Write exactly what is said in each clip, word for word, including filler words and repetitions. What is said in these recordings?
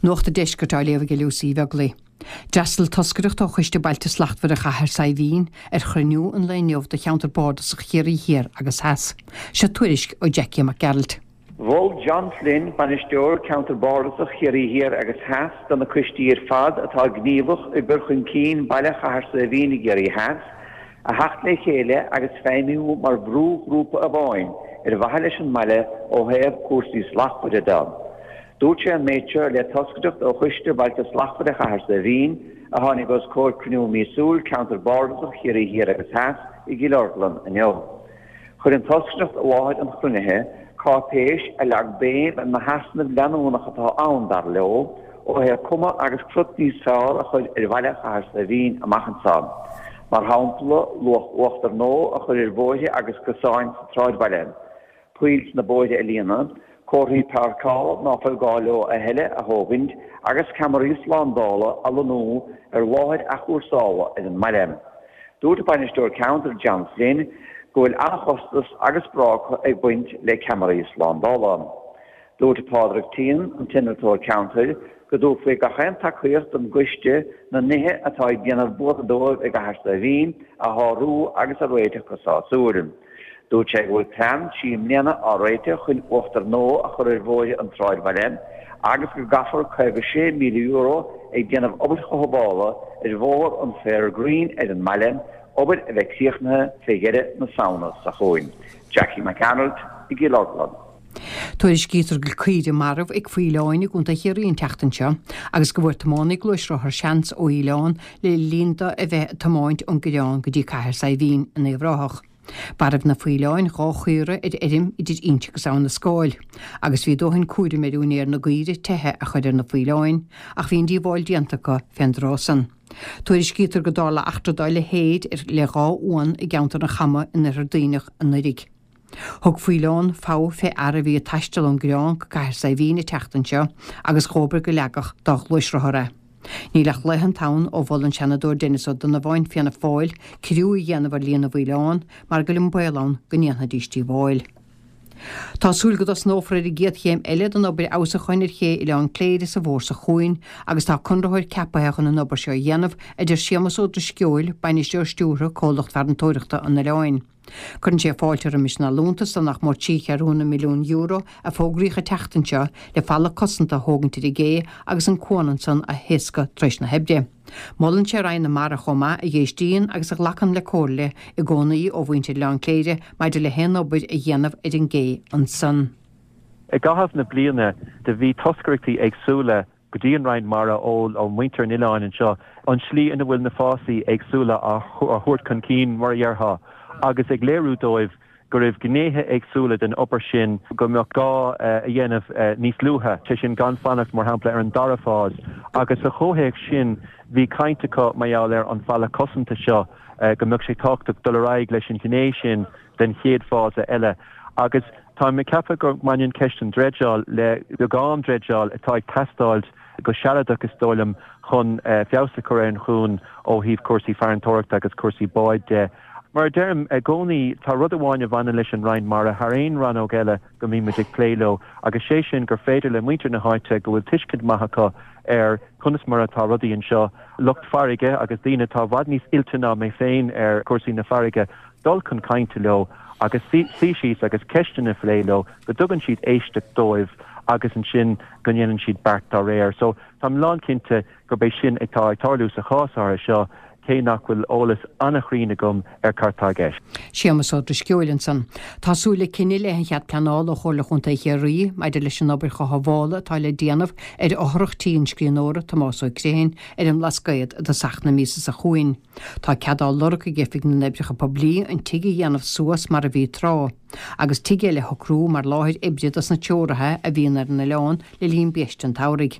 Nuacht an Deiscirt á léamh ag Lucy Bheaglaoich. D'fhreastail toscaireacht ó Choiste Bailte Slachtmhara Chathair Saidhbhín ar chruinniú an lae inniu de cheantar bardasach Chiarraí Thiar agus Theas. Seo tuairisc ó Jackie Mac Gearailt. Mhol John Flynn bainisteoir ceantar bardasach Chiarraí Thiar agus Theas do na coistí ar fad atá gníomhach i gcur chun cinn baile Chathair Saidhbhín i gCiarraí Theas, a theacht le chéile agus feidhmiú mar bhrúghrúpa amháin ar mhaithe leis an mbaile ó thaobh cúrsaí slachtmhara de. Dúirt sé an méid seo le toscaireacht ó Choiste Bailte Slachtmhara Chathair Saidhbhín a tháinig os comhair cruinniú míosúil ceantar bardasach Chiarraí Thiar agus Theas i gCill Orglan inniu. Chuir an toscaireacht i láthair an chruinnithe cáipéis a leag béim ar na heasnaimh leanúnach atá ann dar leo ó thaobh cuma agus crut níos fearr a chur ar bhaile Chathair Saidhbhín amach anseo. Mar shampla luach uachtar nua a chur ar bhóithre agus cosáin sa tsráidbhaile. Poill sna bóithre a líonadh, comharthaí páirceála ná fuil gá leo a thuilleadh a thógaint agus ceamaraí slándála a lonnú ar láthair athchúrsála ar an mbaile. Dúirt bainisteoir ceantair John Flynn go bhfuil an-chostas agus bráca ag baint le ceamaraí slándála. Dúirt Pádraig Teehan an t-innealtóir ceantair go dtabharfaí gach aon tacaíocht don gcoiste na nithe atá ag déanamh buartha dóibh i gCathair Saidhbhín a shárú agus a réiteach go sásúil. Dúirt sé go bhfuil plean trí mbliana á réiteach chun uachtar nua a chur ar bhóithre an tsráidbhaile agus go gcaithfear caoga sé míle euro ag déanamh obair chothabhála ar bhóthar an Fair Green ar an mbaile, obair a bheidh críochnaithe fé dheireadh na Samhna seo chugainn. Jackie McArnold i gCill Orglan. Tuairiscítear go bhfuil caoire marbh ag faoileáin i gContae Chiarraí an tseachtain seo agus go bhfuair tiománaí gluaisrothar seans ó fhaoileán le linn dó a bheith ag tiomáint ón gCoireán go dtí Cathair Saidhbhín in Uíbh Ráthach. Mharaigh na faoileáin dhá chaora ar fheirm idir Inse agus Abhainn na Scáil, agus bhí dóthain cúraim ar úinéir na gcaoire teitheadh a chur ar na faoileáin, ach bhí an díobháil déanta acu fén dtráth san. Tuairiscítear go dtarla eachtra dá leithéid le dhá uan i gceantar an Chama in Oirthear Duibhneach anuraidh. Thug faoileán fogha fé fhear a bhí ag taisteal ón gCoireán go Cathair Saidhbhín an tseachtain seo agus dhóbair go leagfadh dá ghluaisrothar é. Níl ach laethanta ann ó mhol an Seanadóir Denis Ó Donnabháin Fianna Fáil ciorrú a dhéanamh ar líon na bhfaoileán mar go bhfuil an baol ann go ndéanfaidís díobháil. Tá súil go dtosnófar ar an gcéad chéim eile den obair fheabhsúcháin ar ché Oileán Cléire sa bhfómhar seo chugainn agus tá conraitheoir ceaptha chun an obair seo a dhéanamh, a deir Séamus Ó Drisceoil, bainisteoir stiúrtha comhlacht farantóireachta an oileáin. Cuireann sé fáilte roimis an allúntas de nach mór trí cheathrúna milliún euro a fógraíodh an tseachtain seo le falla cosanta a thógaint ar an gcé agus an cuan ansan a thaoscadh tar éis na hoibre. Molann sé Roinn na Mara chomh maith a dh'éistíonn agus a ghlacann le comhairle i gcónaí ó mhuintir Oileán Cléire maidir le haon obair a dhéanamh ar an gcé ansan. I gcaitheamh na bliana do bhí toscaireachtaí éagsúla go dtí an Roinn Mara ó ó mhuintir an oileáin anseo an slí ina bhfuil na fásaí éagsúla á thabhairt chun cinn mar a dhéarfá agus ag léiriú dóibh go raibh gnéithe éagsúla den obair sin go mbeadh gá a dhéanamh níos luaithe, sé sin gan fanacht mar shampla ar an dara fás agus sa chomhthéacs sin bhí caint acu mar gheall ar an falla cosanta seo go mbeadh sé tábhachtach dul ar aghaidh leis an ghné sin den chéad fása eile agus táim ag ceapadh go mbaineann ceist an dreideáil le beagán dreideáil atá ag teastáil go sealadach is dóigh liom chun feabhas a chur ar an chuan ó thaobh cúrsaí farantóireachta agus cúrsaí báid de. Mar a deirim i gcónaí, tá rud amháin a bhaineann leis an Roinn Mara thar aon rannóg eile go mbímid ag plé leo agus sé sin gur féidir le muintir na háite go bhfuil tuiscint maith acu ar conas mar atá rudaí anseo, lucht farraige agus daoine atá i bhfad níos oilte ná mé féin ar chúrsaí na farraige, dul chun cainte leo agus suí síos agus ceisteanna a phlé leo, go dtugann siad éisteacht dóibh agus ansin go ndéanann siad beart dá réir. So táim lánchinnte gurb é sin atá ag tarlú sa chás áirithe seo, cé nach bhfuil eolas an-chruinn agam ar cad tá i gceist. Séamus Ó Drisceoil ansan. Tá súil le cinneadh i leith an chead pleanála ó Chomhairle Chontae Chiarraí maidir leis an obair chothabhála atá le déanamh ar fhothrach tí an scríbhneora Tomás Ó Criomhthain ar an mBlascaod i dtosach na míosa seo chugainn. Tá cead á lorg ag Oifig na nOibreacha Poiblí an tigh a dhéanamh suas mar a bhí tráth, agus tigh eile a shocrú mar láthair oibre dos na treoraithe a bhíonn ar an oileán le linn biaiste an tsamhraidh.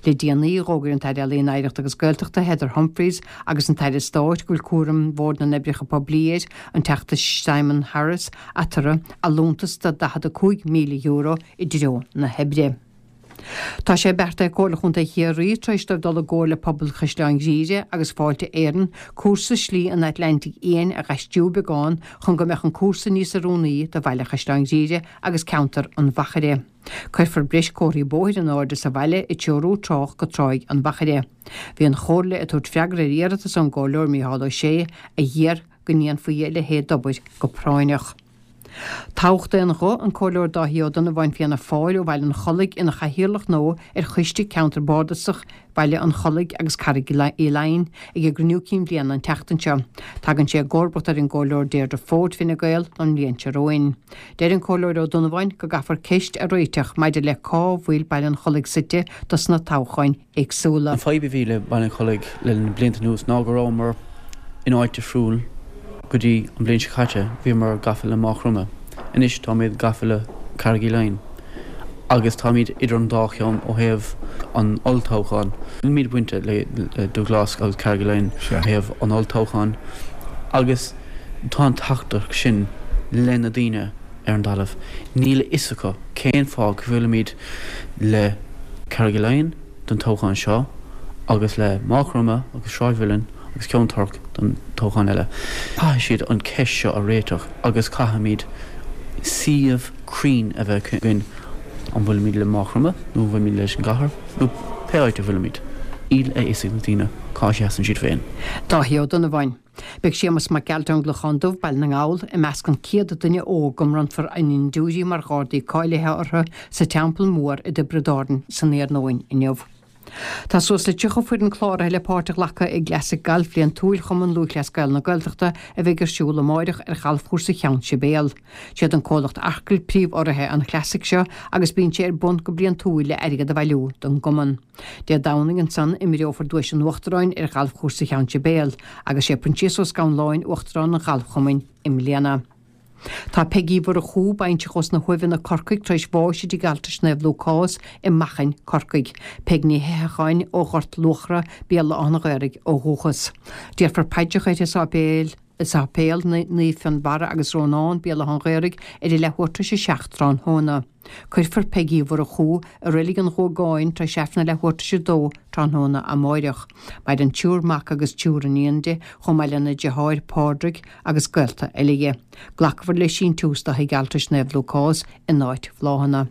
Le déanaí, d'fhógair an tAire Ealaíon, Oidhreachta agus Gaeltachta Heather Humphreys agus an tAire Stáit go bhfuil cúram Bhord na nOibreacha Poiblí air, an Teachta Simon Harris, eatarthu, allúntas de daichead a cúig míle euro i dtreo na hoibre. Tá sé beartaithe ag Comhairle Chontae Chiarraí, tar éis dóibh dul i gcomhar le pobal Chaisleán Ghriaire agus Fáilte Éireann, cúrsa Slí an Atlantaigh Fhiáin a dh'aistriú beagán chun go mbeadh an cúrsa níos oiriúnaí do bhaile Chaisleán Ghriaire agus ceantar an Mhachaire. Cuirfear breis comharthaí bóthair in airde sa bhaile ag treorú trácht go Tráigh an Mhachaire. Bhí an Chomhairle ag tabhairt freagra ar iarratas ón gComhairleoir Mícheál Ó Sé a d'iarr go ndéanfaí a leithéid d'obair go práinneach. Toghadh d'aon ghuth an Comhairleoir Dáithí Ó Donnabháin Fianna Fáil ó Bhaile an Chollaigh ina chathaoirleach nua ar Choiste Ceantair Bardasach Bhaile an Chollaigh agus Carraig Uí Leighin ag a gcruinniú cinn bliana an tseachtain seo. Tagann sé i gcomharbacht ar an gComhairleoir Deirdre Forde Fine Gael don bhliain seo romhainn. Deir an Comhairleoir Ó Donnabháin go gcaithfear ceist a réiteach maidir le cá bhfuil Baile an Chollaigh suite dos na toghcháin éagsúla. An fadhb a bhí le Baile an Chollaigh le na blianta anuas ná go rabhamar in áit difriúil go dtí an bhliain seo caite, bhíomar gafa le Maigh Chromtha. Anois táimid gafa le Carraig Uí Leighin agus táimid idir an dá cheann ó thaobh an olltoghcháin. Nílimid bainte le Dúghlás agus Carraig Uí Leighin ó thaobh an olltoghcháin agus tá an teachtaireacht sin le na daoine ar an dtalamh. Níl a fhios acu cén fáth go bhfuilimid le Carraig Uí Leighin don toghchán seo agus le Maigh Chromtha agus Sráid Mhuilinn agus Ceann Toirc don toghchán eile. Caithfidh siad an cheist seo a réiteach agus caithfimid suíomh cruinn a bheith againn, an bhfuilimid le Maigh Chromtha nó an bhfuilimid leis an gcathair nó pé áit a bhfuilimid. Níl a fhios ag na daoine cá seasann siad féin. Dáithí Ó Donnabháin. Beidh Séamus Mac Gearailt ón gClochán Dubh, Baile na nGall, i measc an céad duine óg go mbronnfar a ndindiúirí mar Ghardaí cáilithe orthu sa Teampall Mór i dTiobraid Árann san iarnóin inniu. Tá suas le tríocha foireann cláraithe le páirt a ghlacadh i gCleasaigh Gailf Bhliantúil Chumann Lúthchleas Gael na Gaeltachta a bheidh ar siúl amáireach ar Ghalfchúrsa Cheann Sibéal. Siad an comhlacht Arkle príomhurraithe an Chleasaigh seo agus bíonn sé ar bun go bliantúil le airgead a bhailiú don gcumann. Dé Domhnaigh ansan imreofar Duais an Uachtaráin ar Ghalfchúrsa Cheann Sibéal agus sé Proinsias Ó Scanláin Uachtarán an Ghalfchumainn i mbliana. Tá Peigí Mhurchú, baintreach ós na hUaimheanna, Corcaigh, tar éis bháis i dTigh Altrais Naomh Lúcás i Machain, Corcaigh. Peig Ní Heithecháin ó Ghort Luachra, Béal Átha an Ghaorthaidh ó dhúchas. Déarfar paidreacha uirthi i sáipéal i Sáipéal Naomh Fionnbarra agus Rónán, Béal Átha an Ghaorthaidh, ar a leathuair tar éis a seacht tráthnóna. Cuirfear Peigí Mhurchú i Reilig an Ghuagáin tar éis Aifreann a leathuair tar éis a dó tráthnóna amáireach. Maireann triúr mac agus triúr iníon di, chomh maith lena deartháir Pádraig agus gaolta eile dhi. Glacfar le síntiús do Thigh Altrais Naomh Lúcás in áit bhláthanna.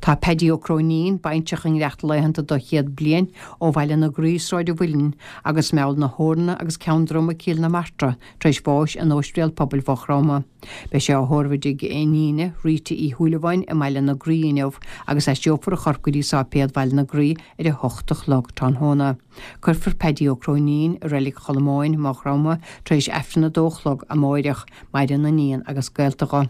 Tá Paddy Ó Cróinín, baintreach i ngiorracht laethanta do chéad bliain, ó Bhaile na Graí, Sráid an Mhuilinn, agus Meall na hEorna agus Ceann Droma, Cill na Martra, tar éis bháis in Óispidéal Pobail Mhaigh Chromtha. Beidh sé á thórramh i dtigh a iníne, Rita Uí Shúilleabháin, i mBaile na Graí inniu agus aistreofar a chorp go dtí Sáipéal Bhaile na Graí ar a hocht a chlog tráthnóna. Cuirfear Paddy Ó Cróinín i Reilig Cholmáin, Maigh Chromtha, tar éis Aifreann a dó a chlog amáireach. Maireann a iníon agus gaolta dho.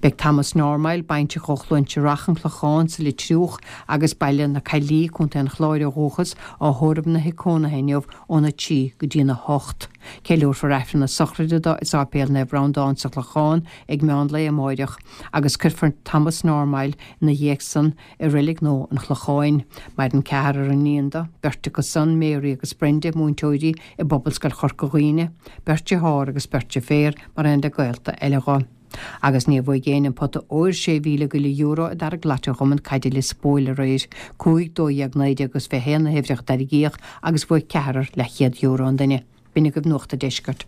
Beidh Thomas Normile, baintreach ó Chluain Searrach, An Clochán sa Leitriúch agus Baile na Caillí, Contae an Chláir ó dhúchas, á thórramh ina thigh cónaithe inniu óna trí go dtína hocht. Ceiliúrfar Aifreann na sochraide dó i Sáipéal Naomh Breandán sa Chlochán ag meán lae amáireach agus cuirfear Thomas Normile ina dhiaidh san i Reilig Nua an Chlocháin. Maireann ceathrar iníon dó, beirt acu san, Mary agus Brenda, múinteoirí i bPobalscoil Chorca Dhuibhne, beirt dearthár agus beirt deirféar, mar aon le gaolta eile dho. Agus níor bhuaigh éinne an pota óir sé mhíle go leith euro i dtarraingt lottery Chumann Caide Lios Póil aréir. Cúig, dó dhéag, naoi déag agus fiche haon na huimhreacha a tarraingíodh agus bhuaigh ceathrar leathchéad euro an duine. B'in agaibh Nuacht an Deiscirt.